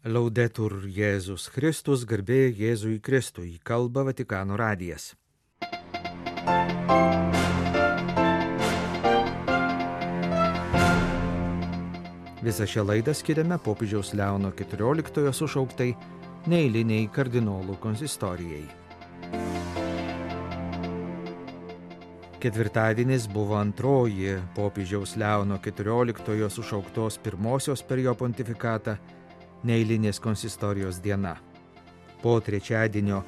Laudetur Jėzus Kristus, garbė Jėzui Kristui, kalba Vatikano radijas. Visą šią laidą skiriame popiežiaus Leono XIV sušauktai neeiliniai kardinolų konsistorijai. Ketvirtadienis buvo antroji popiežiaus Leono XIV sušauktos pirmosios per jo pontifikatą neeilinės konsistorijos diena. Po trečiadienio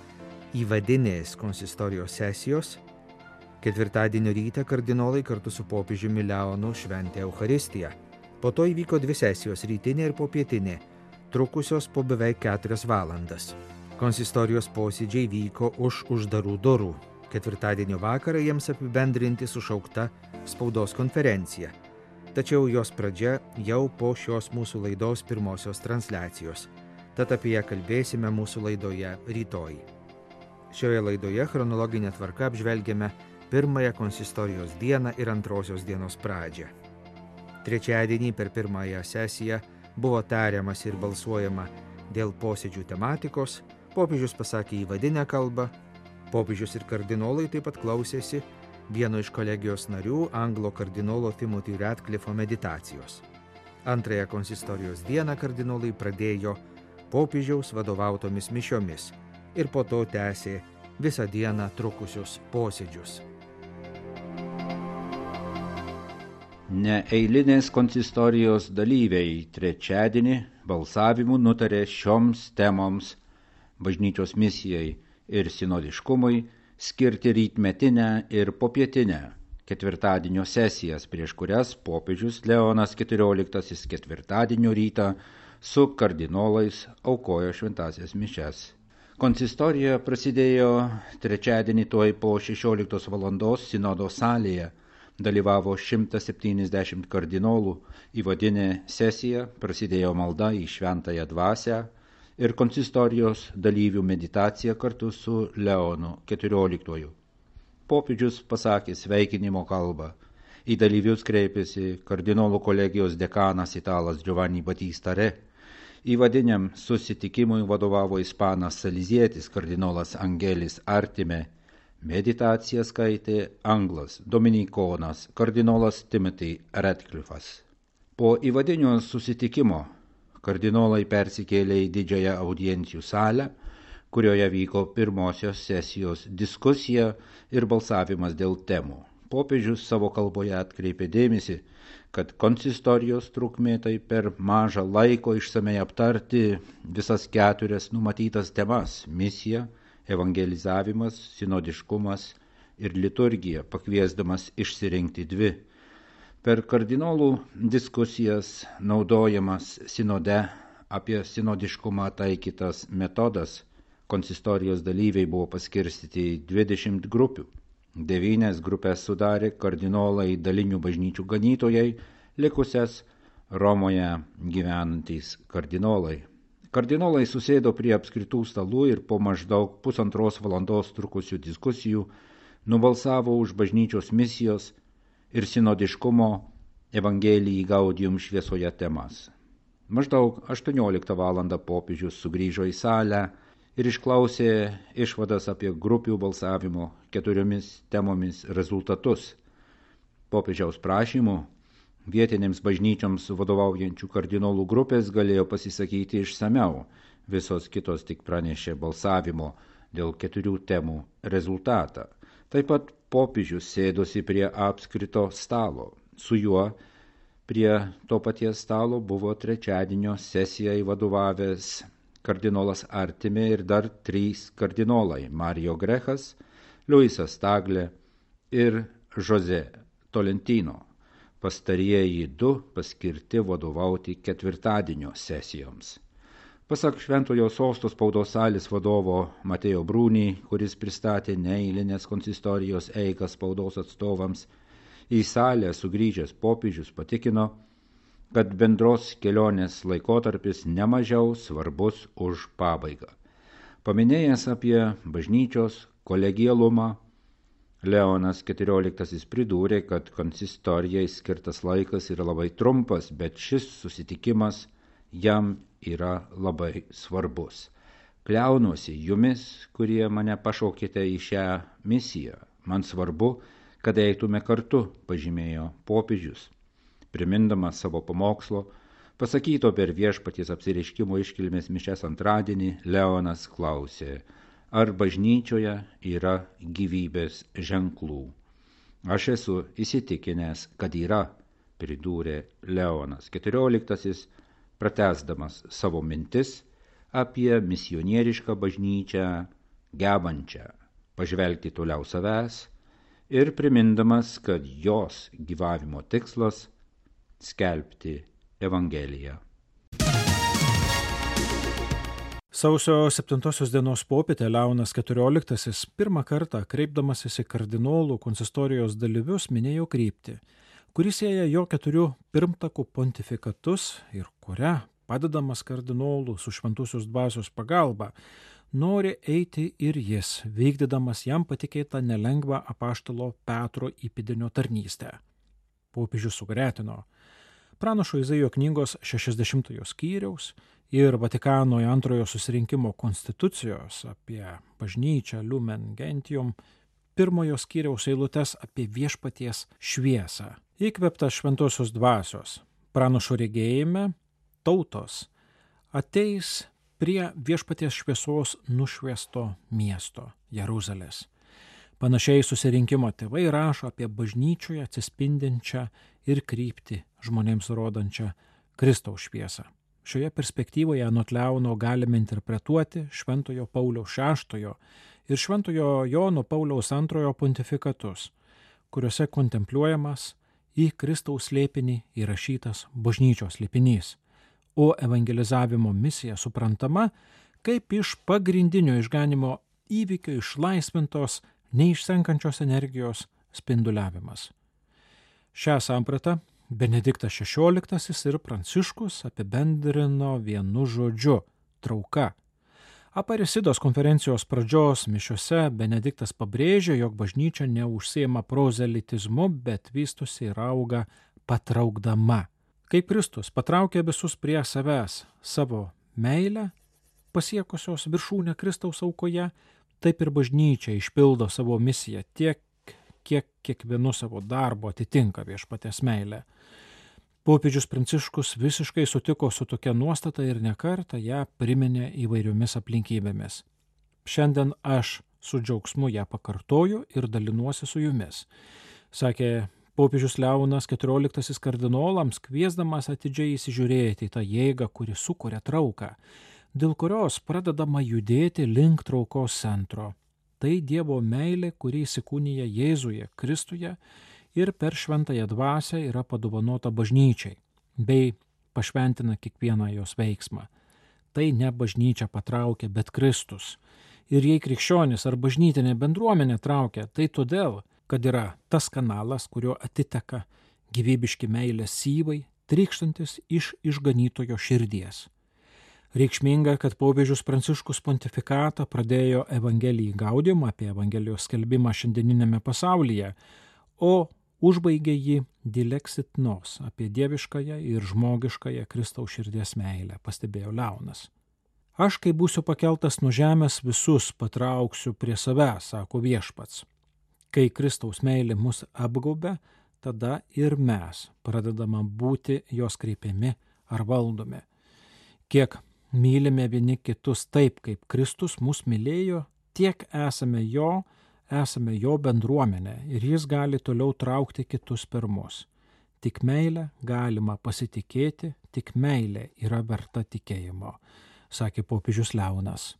įvadinės konsistorijos sesijos, ketvirtadienio rytą kardinolai kartu su popiežiumi Leonu šventė Eucharistiją. Po to įvyko dvi sesijos, rytinė ir popietinė, trukusios po beveik 4 valandas. Konsistorijos posėdžiai vyko už uždarų durų. Ketvirtadienio vakarą jiems apibendrinti sušaukta spaudos konferencija. Tačiau jos pradžia jau po šios mūsų laidos pirmosios transliacijos. Tad apie ją kalbėsime mūsų laidoje rytoj. Šioje laidoje chronologinė tvarka apžvelgiame pirmąją konsistorijos dieną ir antrosios dienos pradžią. Trečiadienį per pirmąją sesiją buvo tariamas ir balsuojama dėl posėdžių tematikos, popiežius pasakė įvadinę kalbą, popiežius ir kardinolai taip pat klausėsi vieno iš kolegijos narių, anglo kardinolo Timothy Ratcliffo meditacijos. Antrąją konsistorijos dieną kardinolai pradėjo popiežiaus vadovautomis mišiomis ir po to tęsė visą dieną trukusius posėdžius. Neeilinės konsistorijos dalyviai trečiadienį balsavimu nutarė šioms temoms bažnyčios misijai ir sinodiškumui skirti rytmetinę ir popietinę ketvirtadienio sesijas, prieš kurias popiežius Leonas XIV ketvirtadienio rytą su kardinolais aukojo šventąsias mišias. Konsistorija prasidėjo trečiadienį tuoj po 16 valandos sinodo salėje. Dalyvavo 170 kardinolų, įvadinė sesija, prasidėjo malda į šventąją dvasią ir konsistorijos dalyvių meditacija kartu su Leonu XIV. Popiežius pasakė sveikinimo kalbą. Į dalyvius kreipėsi kardinolų kolegijos dekanas italas Giovanni Battista Re. Įvadiniam susitikimui vadovavo ispanas salizietis kardinolas Angelis Artime. Meditaciją skaitė anglas dominikonas kardinolas Timothy Ratcliffas. Po įvadinio susitikimo kardinolai persikėlė į didžiąją audiencijų salę, kurioje vyko pirmosios sesijos diskusija ir balsavimas dėl temų. Popiežius savo kalboje atkreipė dėmesį, kad konsistorijos trukmė tai per mažą laiko išsamei aptarti visas 4 numatytas temas – misija, evangelizavimas, sinodiškumas ir liturgija, pakviesdamas išsirinkti 2. Per kardinolų diskusijas naudojamas sinode apie sinodiškumą taikytas metodas, konsistorijos dalyviai buvo paskirstyti į 20 grupių. 9 grupės sudarė kardinolai dalinių bažnyčių ganytojai, likusias Romoje gyvenantys kardinolai. Kardinolai susėdo prie apskritų stalų ir po maždaug 1,5 valandos trukusių diskusijų nubalsavo už bažnyčios misijos ir sinodiškumo Evangelijai Gaudium šviesoje temas. Maždaug 18 valandą popiežius sugrįžo į salę ir išklausė išvadas apie grupių balsavimo 4 temomis rezultatus. Popiežiaus prašymu vietinėms bažnyčioms vadovaujančių kardinolų grupės galėjo pasisakyti išsamiau, visos kitos tik pranešė balsavimo dėl 4 temų rezultatą. Taip pat popiežius sėdosi prie apskrito stalo. Su juo prie to paties stalo buvo trečiadienio sesijai vadovavęs kardinolas Artime ir dar 3 kardinolai – Mario Grechas, Luisas Tagle ir José Tolentino. Pastarieji 2 paskirti vadovauti ketvirtadienio sesijoms. Pasak Šventojo Sosto spaudos salės vadovo Mateo Bruni, kuris pristatė neeilinės konsistorijos eigą spaudos atstovams, į salę sugrįžęs popiežius patikino, kad bendros kelionės laikotarpis nemažiau svarbus už pabaigą. Paminėjęs apie bažnyčios kolegialumą, Leonas XIV pridūrė, kad konsistorijai skirtas laikas yra labai trumpas, bet šis susitikimas jam yra labai svarbus. Kliaunuosi jumis, kurie mane pašaukėte į šią misiją. Man svarbu, kad eitume kartu, pažymėjo popiežius. Primindamas savo pamokslo, pasakyto per Viešpaties apsireiškimo iškilmės mišias antradienį, Leonas klausė, ar bažnyčioje yra gyvybės ženklų. Aš esu įsitikinęs, kad yra, pridūrė Leonas XIV, pratęsdamas savo mintis apie misionierišką bažnyčią, gebančią pažvelgti toliau savęs ir primindamas, kad jos gyvavimo tikslas – skelbti Evangeliją. Sausio 7 dienos popietę Leonas XIV pirmą kartą, kreipdamasis į kardinolų konsistorijos dalyvius, minėjo kryptį, kuri sieja jo 4 pirmtakų pontifikatus ir kuria, padedamas kardinolų su šventosios dvasios pagalba, nori eiti ir jis, vykdydamas jam patikėtą nelengvą apaštalo Petro įpėdinio tarnystę. Popiežius sugretino Pranašo Izaijo knygos 60 skyriaus ir Vatikano antrojo susirinkimo konstitucijos apie bažnyčią Lumen Gentium 1 skyriaus eilutes apie viešpaties šviesą. Įkvėptas šventosios dvasios, pranašo regėjime, tautos ateis prie viešpaties šviesos nušviesto miesto Jeruzalės. Panašiai susirinkimo tėvai rašo apie bažnyčioje atsispindinčią ir kryptį žmonėms rodančią Kristaus šviesą. Šioje perspektyvoje anot Leono galime interpretuoti Šventojo Pauliaus VI ir Šventojo Jono Pauliaus II pontifikatus, kuriuose kontempliuojamas į Kristaus slėpinį įrašytas bažnyčios slėpinys, o evangelizavimo misija suprantama kaip iš pagrindinio išganimo įvykio išlaisvintos, neišsenkančios energijos spinduliavimas. Šią sampratą Benediktas XVI ir Pranciškus apibendrino vienu žodžiu – trauka. Aparisidos konferencijos pradžios mišiose Benediktas pabrėžė, jog bažnyčia neužsiima prozelitizmu, bet vystosi ir auga patraukdama. Kaip Kristus patraukė visus prie savęs savo meilę, pasiekusios viršūnę Kristaus aukoje, taip ir bažnyčia išpildo savo misiją tiek, kiek kiekvienu savo darbu atitinka viešpaties meilę. Popiežius Pranciškus visiškai sutiko su tokia nuostata ir nekartą ją priminė įvairiomis aplinkybėmis. Šiandien aš su džiaugsmu ją pakartoju ir dalinuosi su jumis, sakė popiežius Leonas XIV kardinolams, kviesdamas atidžiai įsižiūrėti į tą jėgą, kuri sukuria trauką, dėl kurios pradedama judėti link traukos centro. Tai Dievo meilė, kuri įsikūnija Jėzuje, Kristuje ir per šventąją dvasią yra padovanota bažnyčiai, bei pašventina kiekvieną jos veiksmą. Tai ne bažnyčia patraukia, bet Kristus. Ir jei krikščionis ar bažnytinė bendruomenė traukia, tai todėl, kad yra tas kanalas, kurio atiteka gyvybiški meilės syvai, trykštantis iš išganytojo širdies. Reikšminga, kad popiežius Pranciškus pontifikatą pradėjo Evangelijai Gaudium apie Evangelijos skelbimą šiandieninėme pasaulyje, o užbaigė jį Dilexit Nos apie dieviškąją ir žmogiškąją Kristaus širdies meilę, pastebėjo Leonas. Aš, kai būsiu pakeltas nuo žemės, visus patrauksiu prie savęs, sako viešpats. Kai Kristaus meilė mus apgaubia, tada ir mes pradedame būti jos kreipiami ar valdomi. Kiek mylime vieni kitus taip, kaip Kristus mus mylėjo, tiek esame jo bendruomenė ir jis gali toliau traukti kitus per mus. Tik meilę galima pasitikėti, tik meilė yra verta tikėjimo, sakė popiežius Leonas.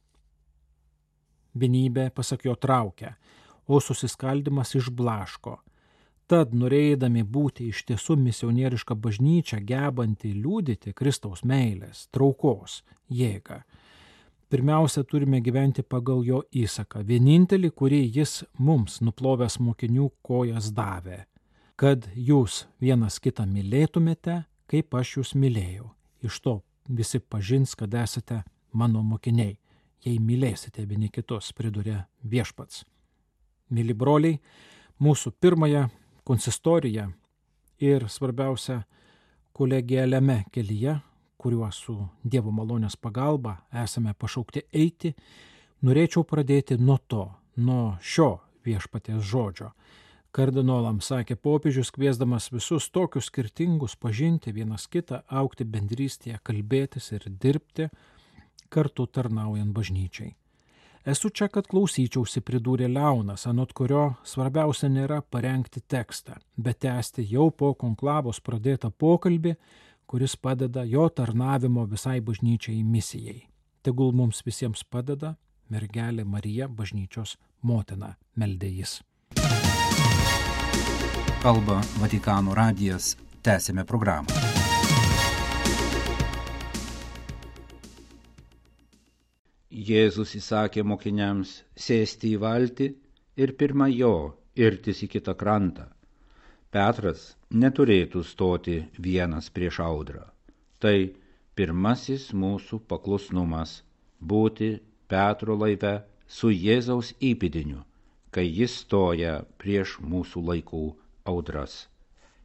Vienybė, pasak jo, traukia, o susiskaldimas išblaško. Tad, norėdami būti iš tiesų misionieriška bažnyčia, gebanti liudyti Kristaus meilės, traukos, jėgą, pirmiausia, turime gyventi pagal jo įsaką, vienintelį, kurį jis mums, nuplovęs mokinių, kojas davė, kad jūs vienas kitą mylėtumėte, kaip aš jūs mylėjau. Iš to visi pažins, kad esate mano mokiniai, jei mylėsite vieni kitus, pridūrė viešpats. Mili broliai, mūsų pirmąją konsistoriją ir svarbiausia kolegialiame kelyje, kuriuo su Dievo malonės pagalba esame pašaukti eiti, norėčiau pradėti nuo šio viešpaties žodžio. Kardinolams sakė popiežius, kviesdamas visus tokius skirtingus pažinti vienas kitą, augti bendrystėje, kalbėtis ir dirbti, kartu tarnaujant bažnyčiai. Esu čia, kad klausyčiausi, pridūrė Leonas, anot kurio svarbiausia nėra parengti tekstą, bet tęsti jau po konklavos pradėtą pokalbį, kuris padeda jo tarnavimo visai bažnyčiai misijai. Tegul mums visiems padeda mergelė Marija, bažnyčios motina, meldė jis. Kalba Vatikano radijas, tęsime programą. Jėzus įsakė mokiniams sėsti į valtį ir pirma jo irtis į kitą krantą. Petras neturėtų stoti vienas prieš audrą. Tai pirmasis mūsų paklusnumas – būti Petro laive su Jėzaus įpėdiniu, kai jis stoja prieš mūsų laikų audras.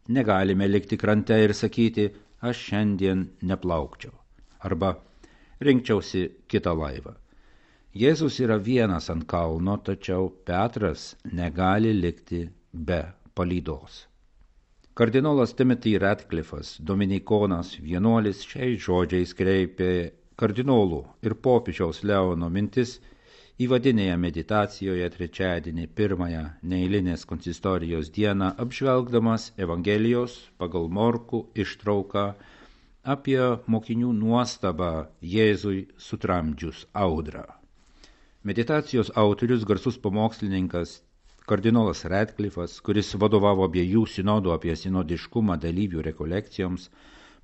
Negalime likti krante ir sakyti, aš šiandien neplaukčiau, arba rinkčiausi kitą laivą. Jėzus yra vienas ant kalno, tačiau Petras negali likti be palydos. Kardinolas Timothy Ratcliffas, dominikonas vienuolis, šiais žodžiais kreipė kardinolų ir popiežiaus Leono mintis įvadinėje meditacijoje trečiadienį pirmąją neeilinės konsistorijos dieną, apžvelgdamas Evangelijos pagal Morkų ištrauką apie mokinių nuostabą Jėzui sutramdžius audrą. Meditacijos autorius, garsus pamokslininkas kardinolas Ratcliffas, kuris vadovavo abiejų sinodų apie sinodiškumą dalyvių rekolekcijoms,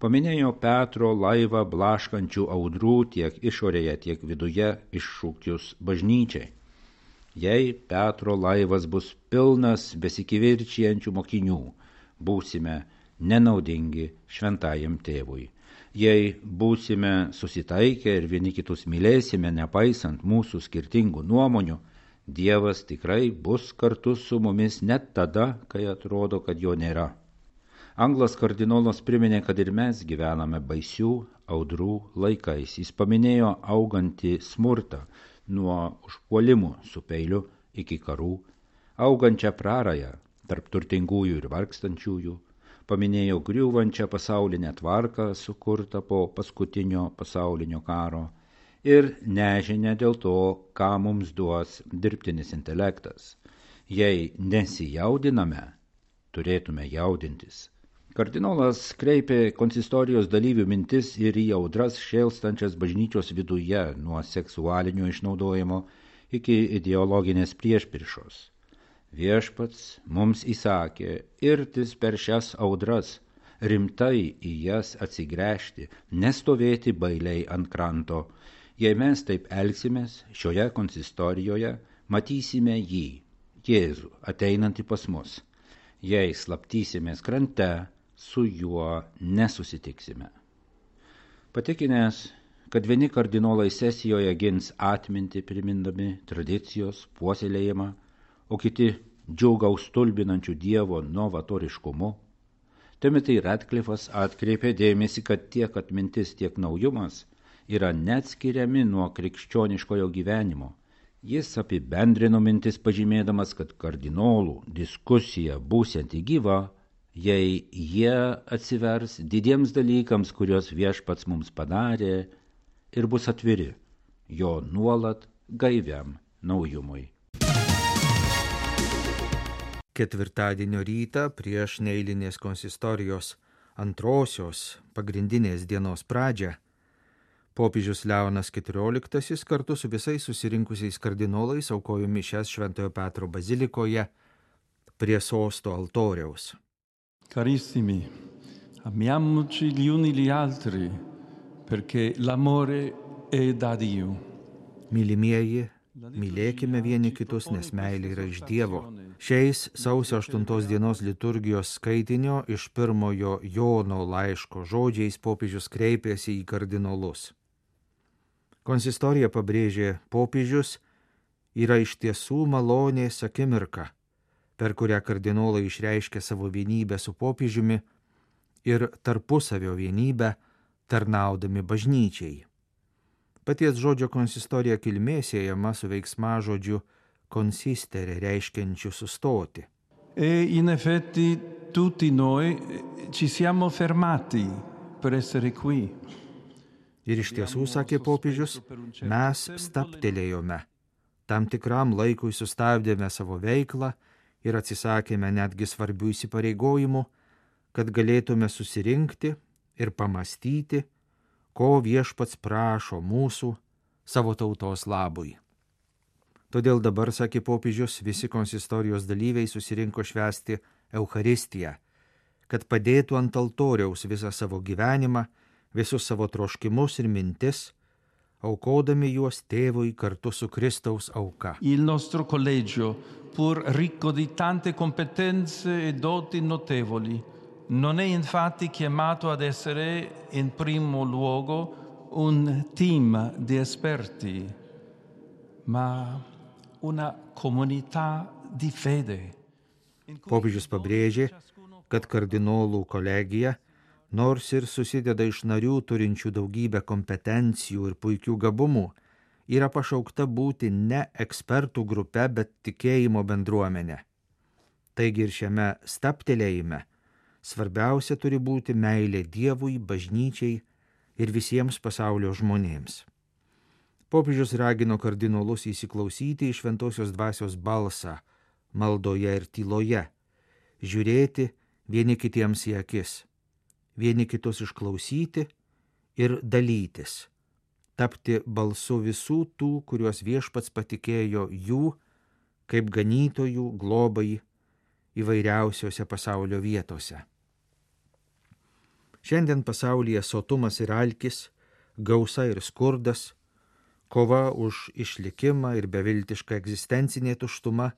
paminėjo Petro laivą blaškančių audrų tiek išorėje, tiek viduje iššūkius bažnyčiai. Jei Petro laivas bus pilnas besikivirčijančių mokinių, būsime nenaudingi šventajam tėvui. Jei būsime susitaikę ir vieni kitus mylėsime, nepaisant mūsų skirtingų nuomonių, Dievas tikrai bus kartu su mumis net tada, kai atrodo, kad jo nėra. Anglas kardinolas priminė, kad ir mes gyvename baisių audrų laikais. Jis paminėjo augantį smurtą nuo užpuolimų su peiliu iki karų, augančią prarają tarp turtingųjų ir vargstančiųjų, paminėjo griūvančią pasaulinę tvarką sukurtą po paskutinio pasaulinio karo ir nežinia dėl to, ką mums duos dirbtinis intelektas. Jei nesijaudiname, turėtume jaudintis. Kardinolas kreipė konsistorijos dalyvių mintis ir į audras šėlstančias bažnyčios viduje nuo seksualinio išnaudojimo iki ideologinės priešpriešos. Viešpats mums įsakė irtis per šias audras, rimtai į jas atsigręžti, nestovėti bailiai ant kranto. Jei mes taip elgsimės, šioje konsistorijoje matysime jį, Jėzų, ateinantį pas mus. Jei slaptysimės krante, su juo nesusitiksime. Patikinęs, kad vieni kardinolai sesijoje gins atmintį primindami tradicijos puoselėjimą, o kiti džiaugaus stulbinančių Dievo novatoriškumu, Timothy Ratcliffas atkreipė dėmesį, kad tiek atmintis, tiek naujumas yra neatskiriami nuo krikščioniškojo gyvenimo. Jis apibendrino mintis pažymėdamas, kad kardinolų diskusija būsianti gyva, jei jie atsivers didiems dalykams, kuriuos viešpats mums padarė, ir bus atviri jo nuolat gaiviam naujumui. Ketvirtadienio rytą prieš neeilinės konsistorijos antrosios pagrindinės dienos pradžią popiežius Leonas XIV kartu su visais susirinkusiais kardinolais aukojo mišias Šventojo Petro bazilikoje prie sosto altoriaus. Carissimi, amiamoci gli uni gli altri, perché l'amore è da Dio. Mylimieji, mylėkime vieni kitus, nes meilė yra iš Dievo. Šiais sausio 8 dienos liturgijos skaitinio iš pirmojo Jono laiško žodžiais popiežius kreipėsi į kardinolus. Konsistorija, pabrėžė popiežius, yra iš tiesų malonės akimirka, per kurią kardinolai išreiškia savo vienybę su popiežiumi ir tarpusavio vienybę, tarnaudami bažnyčiai. Paties žodžio konsistorija kilmė siejama su veiksmažodžiu consistere, reiškiančiu sustoti. E in effetti tutti noi ci siamo fermati per essere qui. Ir iš tiesų, sakė popiežius, mes stabtelėjome. Tam tikram laikui sustabdėme savo veiklą ir atsisakėme netgi svarbių įsipareigojimų, kad galėtume susirinkti ir pamastyti, ko viešpats prašo mūsų savo tautos labui. Todėl dabar, sakė popiežius, visi konsistorijos dalyviai susirinko švęsti Eucharistiją, kad padėtų ant altoriaus visą savo gyvenimą, visus savo troškimus ir mintis, aukodami juos tėvui kartu su Kristaus auka. Il nostro collegio, pur ricco di tante competenze e doti notevoli, non è infatti chiamato ad essere in primo luogo un team di esperti, ma una comunità di fede. Popiežius pabrėžė, kad kardinolų kolegija, nors ir susideda iš narių turinčių daugybę kompetencijų ir puikių gabumų, yra pašaukta būti ne ekspertų grupe, bet tikėjimo bendruomenė. Taigi ir šiame stabtelėjime svarbiausia turi būti meilė Dievui, bažnyčiai ir visiems pasaulio žmonėms. Popiežius ragino kardinolus įsiklausyti į šventosios dvasios balsą maldoje ir tyloje, žiūrėti vieni kitiems į akis, vieni kitus išklausyti ir dalytis, tapti balsu visų tų, kuriuos viešpats patikėjo jų kaip ganytojų globai įvairiausiose pasaulio vietose. Šiandien pasaulyje sotumas ir alkis, gausa ir skurdas, kova už išlikimą ir beviltiška egzistencinė tuštuma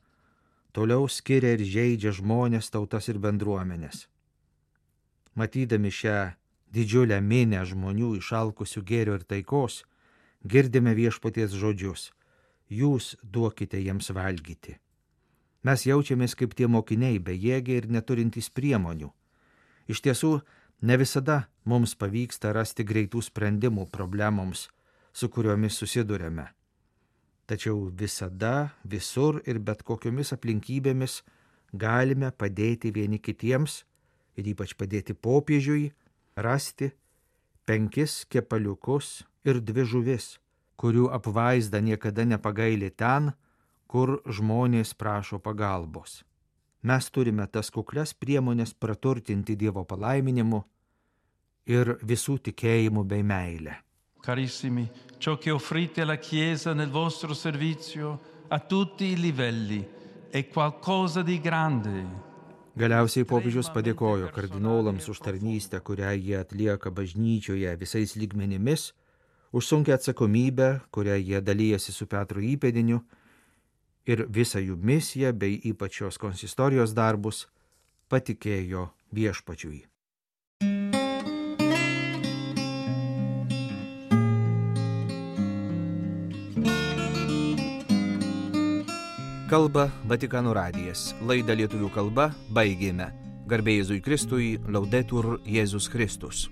toliau skiria ir žeidžia žmonės, tautas ir bendruomenės. Matydami šią didžiulę minią žmonių išalkusių gėrio ir taikos, girdime viešpaties žodžius: jūs duokite jiems valgyti. Mes jaučiamės kaip tie mokiniai, bejėgiai ir neturintys priemonių. Iš tiesų, ne visada mums pavyksta rasti greitų sprendimų problemoms, su kuriomis susidurėme. Tačiau visada, visur ir bet kokiomis aplinkybėmis galime padėti vieni kitiems ir ypač padėti popiežiui rasti 5 kepaliukus ir 2 žuvis, kurių apvaizda niekada nepagaili ten, kur žmonės prašo pagalbos. Mes turime tas kuklias priemonės praturtinti Dievo palaiminimu ir visų tikėjimu bei meile. Carissimi, ciò che offrite alla Chiesa nel vostro servizio a tutti i livelli è qualcosa di grande. Galiausiai popiežius padėkojo kardinolams už tarnystę, kurią jie atlieka bažnyčioje visais lygmenimis, už sunkią atsakomybę, kurią jie dalyjasi su Petro įpėdiniu, ir visą jų misiją bei ypač šios konsistorijos darbus patikėjo viešpačiui. Kalba Vatikano radijas. Laidą lietuvių kalba baigėme. Garbė Jėzui Kristui, Laudetur Jėzus Kristus.